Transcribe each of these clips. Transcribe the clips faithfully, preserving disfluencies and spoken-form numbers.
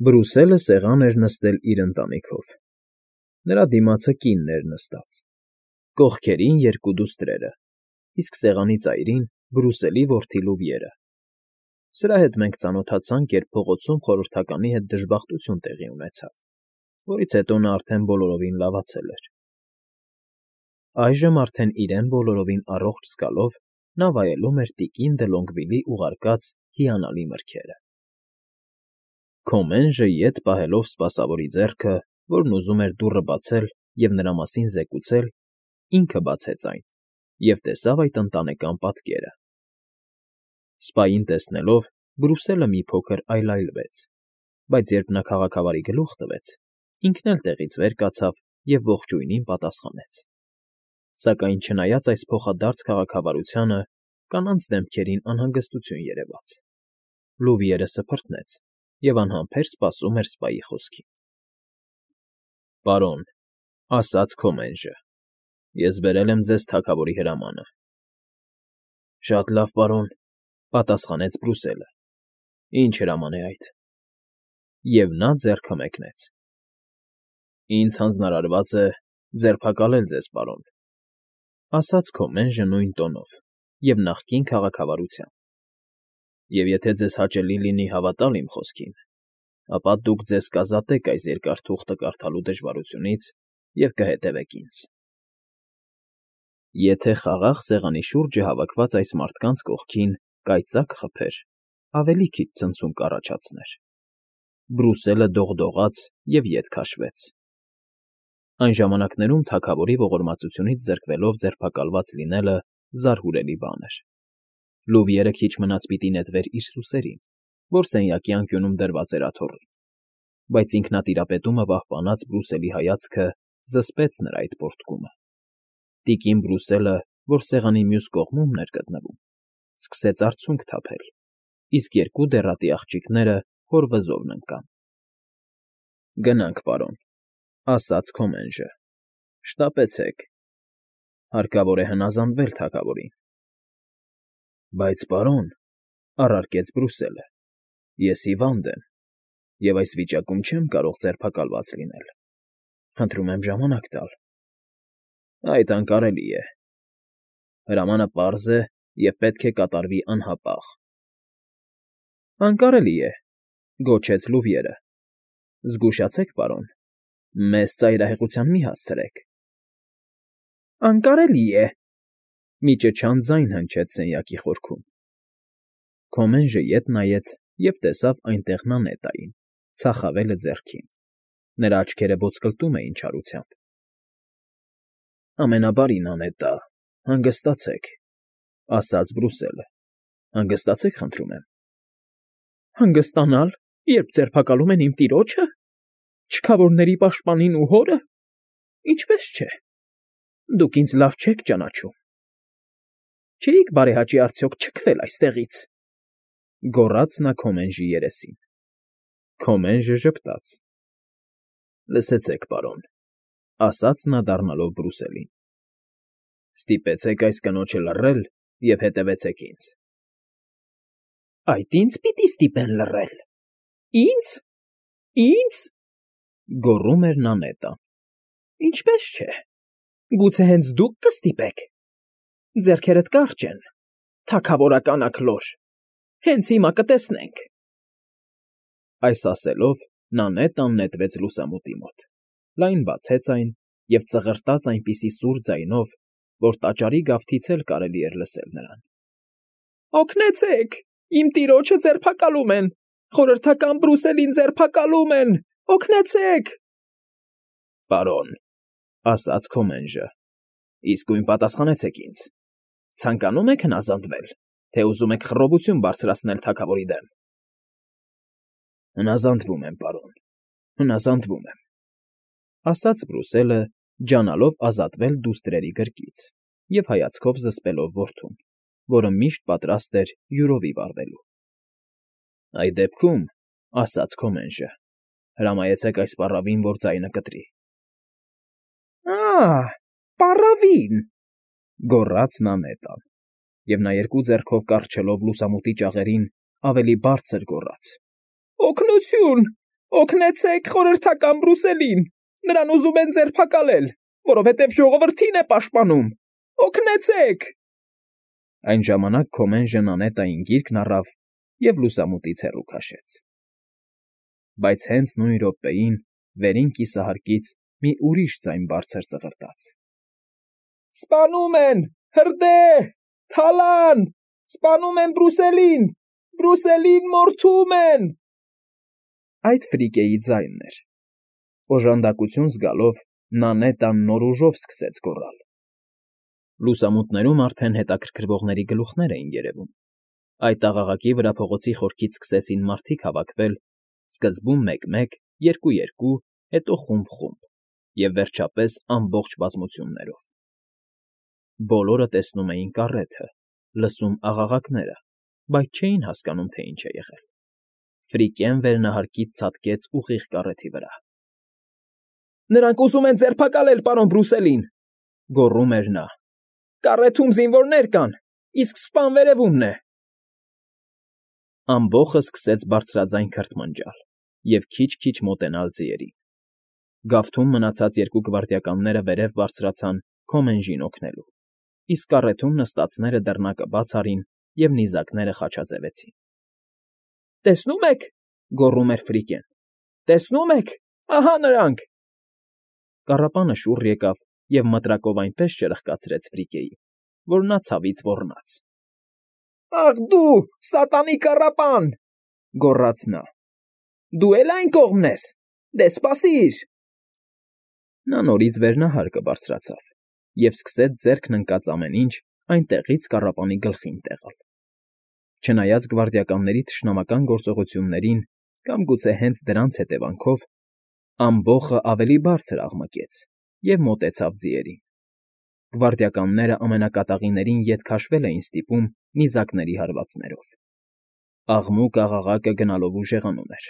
Բրուսելը սեղան էր նստել իր ընտանիքով. նրա դիմացը կինն էր նստած, կողքերին երկու դուստրերը, իսկ սեղանի ծայրին Բրուսելի որդի Լուվիերը. սրա հետ մենք ծանոթացանք, երբ փողոցում խորհրդականի հետ դժբախտություն տեղի ունեցավ, որից հետո նա արդեն բոլորովին լավացել էր. այժմ արդեն իրեն բոլորովին առողջ զգալով նա վայելում էր տիկին Դե ուղարկած հիանալի մրգերը։ Քոմենժը ետ պահելով սպասավորի ձեռքը, որն ուզում էր դուռը բացել և նրա մասին զեկուցել, ինքը բացեց այն և տեսավ այդ ընտանեկան պատկերը։ Սպային տեսնելով, Բրուսելը մի փոքր այլայլվեց, բայց երբ նա քաղաքավարի գլուխ տվեց, ինքն էլ տեղից վեր կացավ և ողջույնին պատասխանեց։ Սակայն չնայած այս փոխադարձ քաղաքավարությանը, կանանց դեմքերին անհանգստություն երևաց։ Լուվիերը սփռտնեց և անհամբեր սպասում էր սպայի խոսքին։ ֊ Պարոն,֊ ասաց Քոմենժը,֊ ես բերել եմ ձեզ թագավորի հրամանը։ ֊ Շատ լավ, պարոն,֊ պատասխանեց Բրուսելը։ ֊ Ինչ հրաման է այդ։ Եվ նա ձեռքը մեկնեց։ ֊ Ինձ հանձնարարված է ձերբակալել ձեզ, պարոն,֊ ասաց Քոմենժը նույն տոնով և նախկին քաղաքավարությամբ։ Եվ եթե ձեզ հաճելի լինի հավատալ իմ խոսքին, ապա դուք ձեզ կազատեք այս երկար թուղթը կարդալու դժվարությունից և կհետևեք ինձ։ Եթե խաղաղ սեղանի շուրջը հավաքված այս մարդկանց կողքին կայծակ խփեր, ավելի քիչ ցնցում կառաջացներ։ Բրուսելը դողդողաց և ետ քաշվեց։ Այն ժամանակներում թագավորի ողորմածությունից զրկվելով ձերբակալված լինելը զարհուրելի բան էր։ Լուվիերը քիչ մնաց պիտի նետվեր իր սուսերին, որ սենյակի անկյունում դրված էր աթոռին, բայց ինքնատիրապետումը պահպանած Բրուսելի հայացքը զսպեց նրա այդ պոռթկումը։ Տիկին Բրուսելը, որ սեղանի մյուս կողմումն էր գտնվում, սկսեց արցունք թափել, իսկ երկու դեռատի աղջիկները հոր վզովն ընկան։ ֊ Գնանք, պարոն,֊ ասաց Քոմենժը,֊ շտապեցեք, հարկավոր է հնազանդվել թագավորին։ ֊ Բայց, պարոն,֊ առարկեց Բրուսելը,֊ ես հիվանդ եմ և այս վիճակում չեմ կարող ձերբակալված լինել, խնդրում եմ ժամանակ տալ։ ֊ Այդ անկարելի է։ Հրամանը պարզ է և պետք է կատարվի անհապաղ։ ֊ Անկարելի է,֊ գոչեց Լուվիերը,֊ զգուշացեք, պարոն, մեզ ծայրահեղության մի հասցրեք։ ֊ Անկարելի է,֊ մի ճչան ձայն հնչեց սենյակի խորքում։ Քոմենժը ետ նայեց և տեսավ այնտեղ Նանետային, ծախավելը ձեռքին. նրա աչքերը ոսկլտում էին չարությամբ։ ֊ Ամենաբարի Նանետա, հանգստացեք,֊ ասաց Բրուսելը,֊ հանգստացեք, խնդրում եմ։ ֊ Հանգստանալ, երբ ձերբակալում են իմ տիրոջը, չքավորների պաշտպանին ու հորը… Ինչպես չէ… Դուք ինձ լավ չեք ճանաչում… Չէի՞ք բարեհաճի արդյոք չքվել այստեղից,֊ գոռաց նա Քոմենժի երեսին։ Քոմենժը ժպտաց։ ֊ Լսեցեք, պարոն,֊ ասաց նա դառնալով Բրուսելին,֊ ստիպեցեք այս կնոջը լռել և հետևեցեք ինձ։ ֊ Այդ ին՞ց պիտի ստիպեն լռել… Ի՞նձ… Ի՞նձ… գոռում էր Նանետան։ ֊ Ինչպես չէ… Գուցե հենց դուք կստիպեք… Ձեռքերդ կարճ են, թագավորական Աքլոր, հենց հիմա կտեսնենք… Այս ասելով Նանետան նետվեց լուսամուտի մոտ, լայն բացեց այն և ծղրտաց այնպիսի սուր ձայնով, որ տաճարի գավթից էլ կարելի էր լսել նրան. Օգնեցե՛ք… Իմ տիրոջը ձերբակալում են… Խորհրդական Բրուսելին ձերբակալում են… Օգնեցե՛ք… ֊ Պարոն,֊ ասաց Քոմենժը,֊ իսկույն պատասխանեցեք ինձ. ցանկանում եք հնազանդվել, թե ուզում եք խռովություն բարձրացնել թագավորի դեմ։ ֊ Հնազանդվում եմ, պարոն, հնազանդվում եմ,֊ ասաց Բրուսելը, ջանալով ազատվել դուստրերի գրկից և հայացքով զսպելով որդուն, որը միշտ պատրաստ էր յուրովի վառվելու։ ֊ Այդ դեպքում,֊ ասաց Քոմենժը,֊ հրամայեցեք այս պառավին, որ ձայնը կտրի։ ֊ Ա՜, պառավի՜ն,֊ գոռաց Նանետան, և նա երկու ձեռքով կառչելով լուսամուտի ճաղերին ավելի բարձր գոռաց. Օգնությո՛ւն… Օգնեցեք խորհրդական Բրուսելին, նրան ուզում են ձերբակալել, որովհետև ժողովրդին է պաշտպանում, օգնեցեք… Այն ժամանակ Քոմենժը նանետային գիրկն առավ և լուսամուտից հեռու քաշեց։ Բայց հենց նույն րոպեին վերին կիսահարկից մի ուրիշ ձայն բարձր ծղրտաց. «Սպանում են… Հրդե՜հ… Թալան… Սպանում են Բրուսելին… Բրուսելին մորթում են…» Այդ Ֆրիկեի ձայնն էր։ Օժանդակություն զգալով Նանետան նոր ուժով սկսեց գոռալ։ Լուսամուտներում արդեն հետաքրքրվողների գլուխներ էին երևում։ Այդ աղաղակի վրա փողոցի խորքից սկսեցին մարդիկ հավաքվել, սկզբում մեկ֊մեկ, երկու֊երկու, հետո խումբ֊խումբ և, վերջապես, ամբողջ բազմություններով։ Բոլորը տեսնում էին կառեթը, լսում աղաղակները, բայց չէին հասկանում, թե ինչ է եղել։ Ֆրիկեն վերնահարկից ցատկեց ուղիղ կառեթի վրա։ «Նրանք ուզում են ձերբակալել պարոն Բրուսելին,֊ գոռում էր նա։֊ Կառեթում զինվորներ կան, իսկ սպան վերևումն է»։ Ամբոխը սկսեց բարձրաձայն քրթմնջալ և քիչ֊քիչ մոտենալ ձիերին։ Գավթում մնացած երկու գվարդիականները վերև բարձրացան Քոմենժին օգնելու, իսկ կառեթում նստածները դռնակը բաց արին և նիզակները խաչաձևեցին։ «Տեսնո՞ւմ եք,֊ գոռում էր Ֆրիկեն,֊ տեսնո՞ւմ եք… Ահա նրանք…» Կառապանը շուռ եկավ և մտրակով այնպես ճրխկացրեց Ֆրիկեին, որ նա ցավից ոռնաց։ «Ախ դու, սատանի կառապան,֊ գոռաց նա,֊ դու էլ այն կողմն ես… Դե սպասիր…» Նա նորից վերնահարկը բարձրացավ և սկսեց ձեռքն ընկած ամեն ինչ այնտեղից կառապանի գլխին տեղալ։ Չնայած գվարդիականների թշնամական գործողություններին կամ գուցե հենց դրանց հետևանքով, ամբոխը ավելի բարձր աղմկեց և մոտեցավ ձիերին։ Գվարդիականները ամենակատաղիներին ետ քաշվել էին ստիպում նիզակների հարվածներով։ Աղմուկ֊աղաղակը գնալով ուժեղանում էր։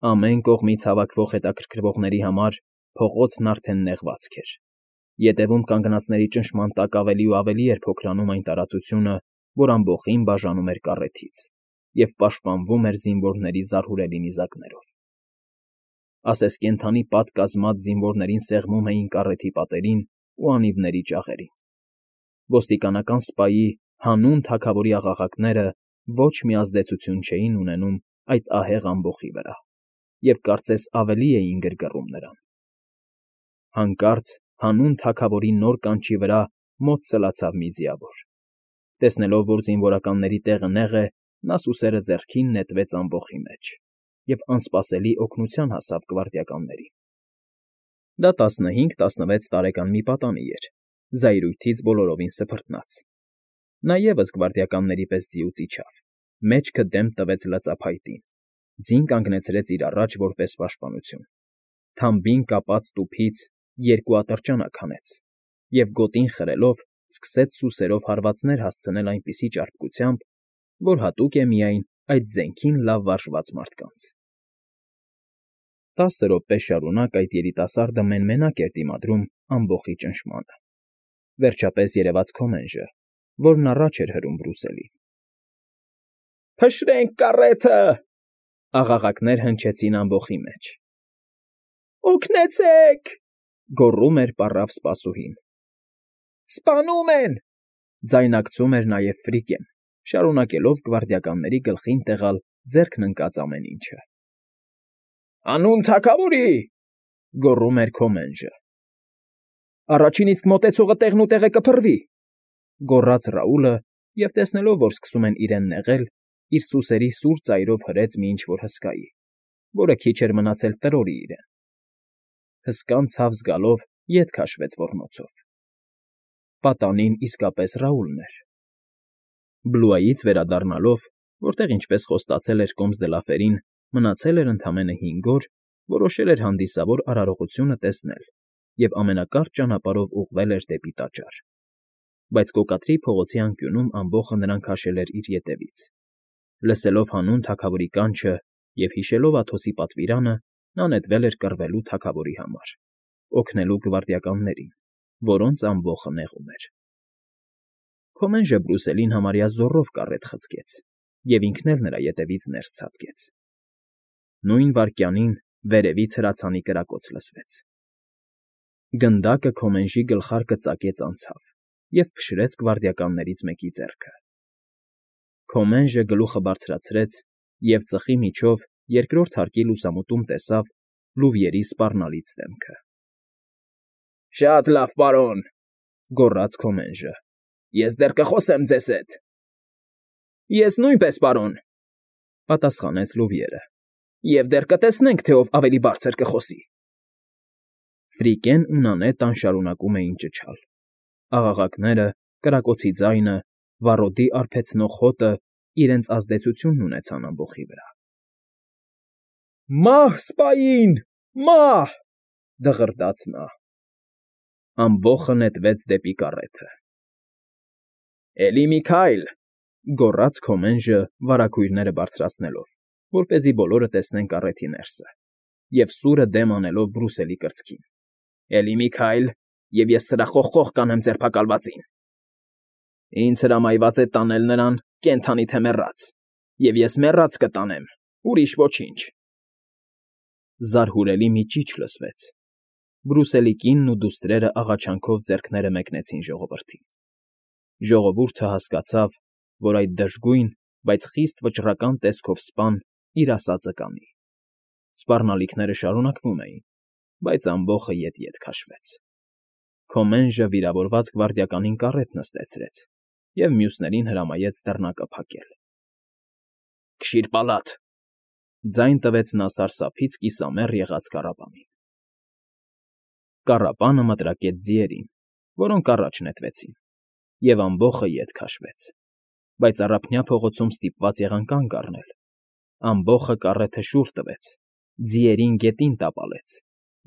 Ամեն կողմից հավաքվող հետաքրքրվողների համար փողոցն արդեն նեղվածք էր։ Ետևում կանգնածների ճնշման տակ ավելի ու ավելի էր փոքրանում այն տարածությունը, որ ամբոխին բաժանում էր կառեթից և պաշտպանվում էր զինվորների զարհուրելի նիզակներով։ Ասես կենդանի պատ կազմած զինվորներին սեղմում էին կառեթի պատերին ու անիվների ճաղերին։ Ոստիկանական սպայի հանուն թագավորի աղաղակները ոչ մի ազդեցություն չէին ունենում այդ ահեղ ամբոխի վրա և կարծես ավելի էին գրգռում նրան։ Հանկարծ հանուն թագավորի նոր կանչի վրա մոտ սլացավ մի ձիավոր։ Տեսնելով, որ զինվորականների տեղը նեղ է, նա սուսերը ձեռքին նետվեց ամբոխի մեջ և անսպասելի օգնության հասավ գվարդիականներին։ Դա տասնհինգ֊տասնվեց տարեկան մի պատանի էր, զայրույթից բոլորովին սփռտնած։ Նա ևս գվարդիականների պես ձիուց իջավ, մեջքը դեմք տվեց լծափայտին, ձին կանգնեցրեց իր առաջ որպես պաշտպանություն, թամբին կապած տուփից երկու ատրճանակ հանեց և, գոտին խրելով, սկսեց սուսերով հարվածներ հասցնել այնպիսի ճարպկությամբ, որ հատուկ է միայն այդ զենքին լավ վարժված մարդկանց։ Տասը րոպե շարունակ այդ երիտասարդը մեն֊մենակ էր դիմադրում ամբոխի ճնշմանը։ Վերջապես երևաց Քոմենժը, որն առաջ էր հրում Բրուսելին։ «Փշրենք կառեթը…֊ աղաղակներ հնչեցին ամբոխի մեջ։ «Օգնեցեք…֊ գոռում էր պառավ սպասուհին։ «Սպանում են…֊ ձայնարկում էր նաև Ֆրիկեն, շարունակելով գվարդիականների գլխին տեղալ ձեռքն ընկած ամեն ինչը։ «Հանուն թագավորի…֊ գոռում էր Քոմենժը։ «Առաջին իսկ մոտեցողը տեղնուտեղը կփռվի…֊ գոռաց Ռաուլը և, տեսնելով, որ սկսում են իրեն նեղել, իր սուսերի սուր ծայրով հրեց մի ինչ֊որ հսկայի, որը քիչ էր մնացել տրորի իրեն։ Հսկան ցավ զգալով ետ քաշվեց ոռնոցով։ Պատանին իսկապես Ռաուլն էր։ Բլուայից վերադառնալով, որտեղ, ինչպես խոստացել էր Կոմս դը Լաֆերին, մնացել էր ընդամենը հինգ օր, որոշել էր հանդիսավոր արարողությունը տեսնել և ամենակարճ ճանապարհով ուղղվել էր դեպի տաճար։ Բայց կոկատրի փողոցի անկյունում ամբոխը նրան քաշել էր իր ետևից։ Լսելով հանուն թագավորի կանչը և հիշելով Աթոսի պատվիրանը, նա նետվել էր կռվելու թագավորի համար, օգնելու գվարդիականներին, որոնց ամբոխը նեղում էր։ Քոմենժը Բրուսելին համարյա զոռով կառետ խցկեց և ինքն էլ նրա ետևից ներս ցատկեց։ Նույն վայրկյանին վերևից հրացանի կրակոց լսվեց։ Գնդակը Քոմենժի գլխարկը ծակեց անցավ և փշրեց գվարդիականներից մեկի ձեռքը։ Քոմենժը գլուխը բարձրացրեց և ծխի միջով երկրորդ հարկի լուսամուտում տեսավ Լուվիերի սպառնալից դեմքը։ ֊ Շատ լավ, պարոն,֊ գոռաց Քոմենժը։֊ Ես դեռ կխոսեմ ձեզ հետ։ ֊ Ես նույնպես, պարոն,֊ պատասխանեց Լուվիերը,֊ և դեռ կտեսնենք, թե ով ավելի բարձր կխոսի։ Ֆրիկեն ու Նանետան շարունակում էին ճչալ։ Աղաղակները, կրակոցի ձայնը, վառոդի արբեցնող հոտը իրենց ազդեցությունն ունեցան ամբոխի վրա։ «Մա՜հ սպային, մա՜հ,֊ դղրդաց նա։ Ամբոխը նետվեց դեպի կառեթը։ «Էլի մի քայլ,֊ գոռաց Քոմենժը վարագույրները բարձրացնելով, որպեսզի բոլորը տեսնեն կառեթի ներսը, և սուրը դեմ անելով Բրուսելի կրծքին։֊ Էլի մի քայլ, և ես սրա խոխխող կանեմ ձերբակալվածին… Ինձ հրամայված է տանել նրան կենդանի թե մեռած, և ես մեռած կտանեմ, ուրիշ ոչինչ»։ Զարհուրելի մի ճիչ լսվեց։ Բրուսելի կինն ու դուստրերը աղաչանքով ձեռքները մեկնեցին ժողովրդին։ Ժողովուրդը հասկացավ, որ այդ դժգույն, բայց խիստ վճռական տեսքով սպան իր ասածը կանի։ Սպառնալիքները շարունակվում էին, բայց ամբոխը ետ֊ետ քաշվեց։ Քոմենժը վիրավորված գվարդիականին կառետ նստեցրեց և մյուսներին հրամայեց դռնակը փակել։ «Քշի՛ր պալատ,֊ ձայն տվեց նա սարսափից կիսամեռ եղած կառապանին։ Կառապանը մտրակեց ձիերին, որոնք առաջ նետվեցին, և ամբոխը ետ քաշվեց, բայց առափնյա փողոցում ստիպված եղան կանգ առնել։ Ամբոխը կառեթը շուռ տվեց, ձիերին գետին տապալեց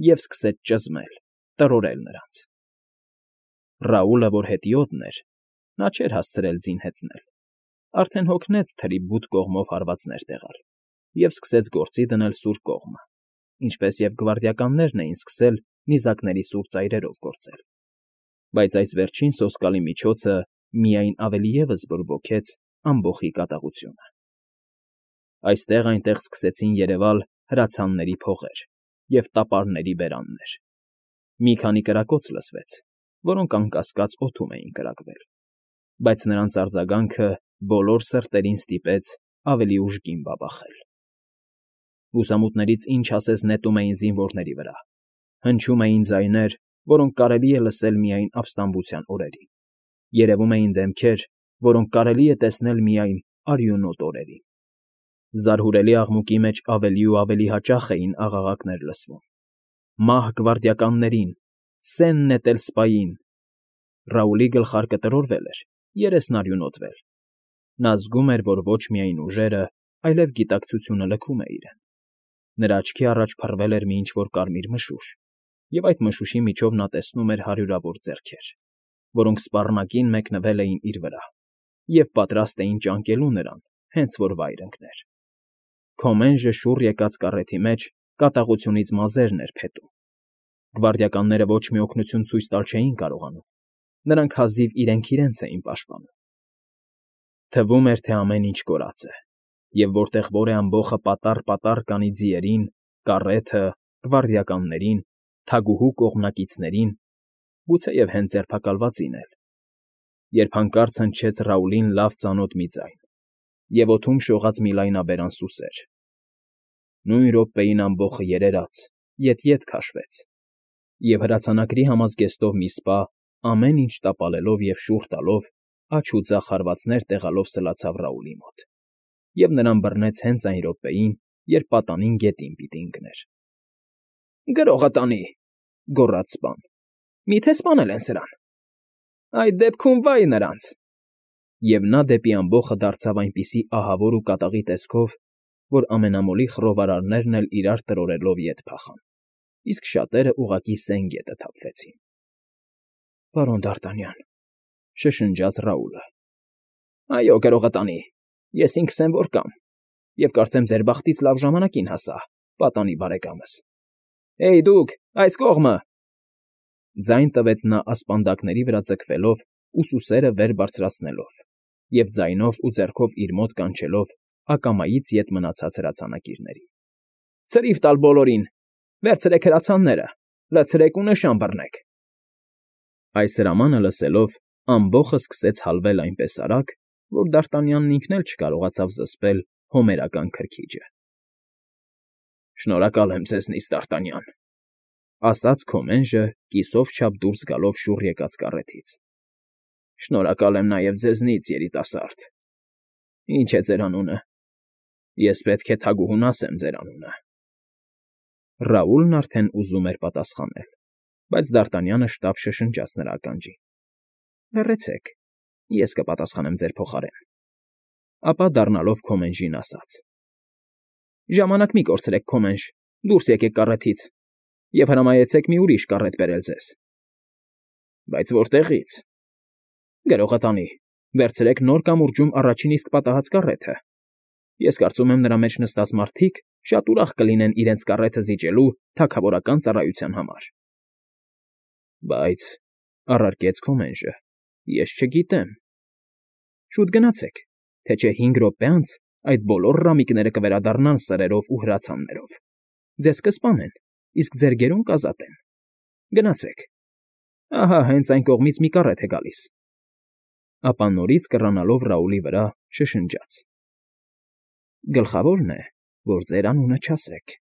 և սկսեց ճզմել, տրորել նրանց։ Ռաուլը, որ հետիոտն էր (նա չէր հասցրել ձին հեծնել), արդեն հոգնեց թրի բութ կողմով հարվածներ տեղալ և սկսեց գործի դնել սուր կողմը, ինչպես և գվարդիականներն էին սկսել նիզակների սուր ծայրերով գործել։ Բայց այս վերջին սոսկալի միջոցը միայն ավելի ևս բորբոքեց ամբոխի կատաղությունը։ Այստեղ֊այնտեղ սկսեցին երևալ հրացանների փողեր և տապարների բերաններ։ Մի քանի կրակոց լսվեց, որոնք անկասկած օդում էին կրակվել, բայց նրանց արձագանքը բոլոր սրտերին ստիպեց ավելի ուժգին բաբախել։ Լուսամուտներից ինչ ասես նետում էին զինվորների վրա։ Հնչում էին ձայներ, որոնք կարելի է լսել միայն ապստամբության օրերին, երևում էին դեմքեր, որոնք կարելի է տեսնել միայն արյունոտ օրերին։ Զարհուրելի աղմուկի մեջ ավելի ու ավելի հաճախ էին աղաղակներ լսվում. «Մահ գվարդիականներին, սեն նետել սպային…»։ Ռաուլի գլխարկը տրորվել էր, երեսն արյունոտվել։ Նա զգում էր, որ ոչ միայն ուժերը, այլև գիտակցությունը լքում է իրեն։ Նրա աչքի առաջ փռվել էր մի ինչ֊որ կարմիր մշուշ, և այդ մշուշի միջով նա տեսնում էր հարյուրավոր ձեռքեր, որոնք սպառնակին մեկնվել էին իր վրա և պատրաստ էին ճանկելու նրան, հենց որ վայր ընկներ։ Քոմենժը շուռ եկած կառեթի մեջ կատաղությունից մազերն էր փետում։ Գվարդիականները ոչ մի օգնություն ցույց տալ չէին կարողանում, նրանք հազիվ իրենք իրենց էին պաշտպանում։ Թվում էր, թե ամեն ինչ կորած է, և որտեղ որ է ամբոխը պատառ֊պատառ կանի ձիերին, կառեթը, գվարդիականներին, թագուհու կողմնակիցներին, գուցեև հենց ձերբակալվածին էլ, երբ հանկարծ հնչեց Ռաուլին լավ ծանոթ մի ձայն, և օդում շողաց մի լայնաբերան սուսեր։ Նույն րոպեին ամբոխը երերաց, ետ֊ետ քաշվեց, և հրացանակրի համազգեստով մի սպա, ամեն ինչ տապալելով և շուռ տալով, աջ ու ձախ հարվածներ տեղալով սլացավ Ռաուլի մոտ և նրան բռնեց հենց այն րոպեին, երբ պատանին գետին պիտի ընկներ։ ֊ Գրողը տանի,֊ գոռաց սպան,֊ մի՞թե սպանել են սրան։ ֊ Այդ դեպքում վա՜յ նրանց… Եվ նա դեպի ամբոխը դարձավ այնպիսի ահավոր ու կատաղի տեսքով, որ ամենամոլի խռովարարներն էլ իրար տրորելով ետ փախան, իսկ շատերը ուղղակի սեն գետը թափվեցին։ ֊ Պարոն Դ'Արտանյան,֊ շշնջաց Ռաուլը։ ֊ Այո, գրողը տանի, ես ինքս եմ որ կամ, և կարծեմ ձեր բախտից լավ ժամանակին հասա, պատանի բարեկամս… Հեյ, դուք, այս կողմը…֊ ձայն տվեց նա ասպանդակների վրա ձգվելով ու սուսերը վեր բարձրացնելով և ձայնով ու ձեռքով իր մոտ կանչելով ակամայից ետ մնացած հրացանակիրներին։ Ցրիվ տալ բոլորին, վերցրեք հրացանները, լցրեք ու նշան բռնեք։ Այս հրամանը լսելով ամբոխը սկսեց հալվել այնպես արագ, որ Դ'Արտանյանն ինքն էլ չկարողացավ զսպել հոմերական քրքիջը։ Շնորհակալ եմ ձեզնից, Դ'Արտանյան, ֊ ասաց Քոմենժը կիսով չափ դուրս գալով շուռ եկած կառեթից։ Շնորհակալ եմ նաև ձեզնից, երիտասարդ։ Ինչ է ձեր անունը։ Ես պետք է թագուհուն ասեմ ձեր անունը։ Ռաուլն արդեն ուզում էր պատասխանել, բայց Դ'Արտանյանը շտապ շշնջաց նրա ականջին։ Լռեցեք, ես կպատասխանեմ ձեր փոխարեն։ Ապա դառնալով Քոմենժին ասաց. Ժամանակ մի կորցրեք, Քոմենժ, դուրս եկեք կառեթից և հրամայեցեք մի ուրիշ կառեթ բերել ձեզ։ Բայց որտեղի՞ց։ Գրողատանի, վերցրեք նոր կամուրջում առաջին իսկ պատահած կառեթը։ Ես կարծում եմ, նրա մեջ նստած մարդիկ շատ ուրախ կլինեն իրենց կառեթը զիջելու թագավորական ծառայության համար։ Բայց, առարկեց Քոմենժը, ես չգիտեմ։ Շուտ գնացեք, թե չէ հինգ րոպե անց այդ բոլոր ռամիկները կվերադառնան սրերով ու հրացաններով։ Ձեզ կսպանեն, իսկ ձեր գերուն կազատեն։ Գնացեք։ Ահա հենց այն կողմից մի կառեթ է գալիս։ Ապա նորից կռանալով Ռաուլի վրա շշնջաց. Գլխավորն է, որ ձեր անունը չասեք։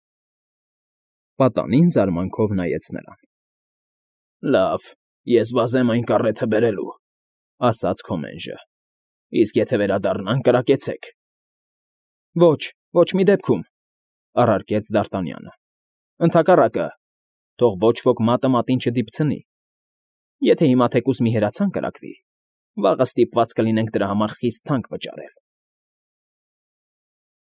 Պատանին զարմանքով նայեց նրան։ Լավ, ես վազեմ այն կառեթը բերելու, ֊ ասաց Քոմենժը։ Իսկ եթե վերադառնան, կրակեցեք։ Ոչ, ոչ մի դեպքում, ֊ առարկեց Դ'Արտանյանը։ Ընդհակառակը, թող ոչ ոք մատը մատին չդիպցնի։ Եթե հիմա թեկուզ մի հրացան կրակվի, վաղը ստիպված կլինենք դրա համար խիստ թանկ վճարել։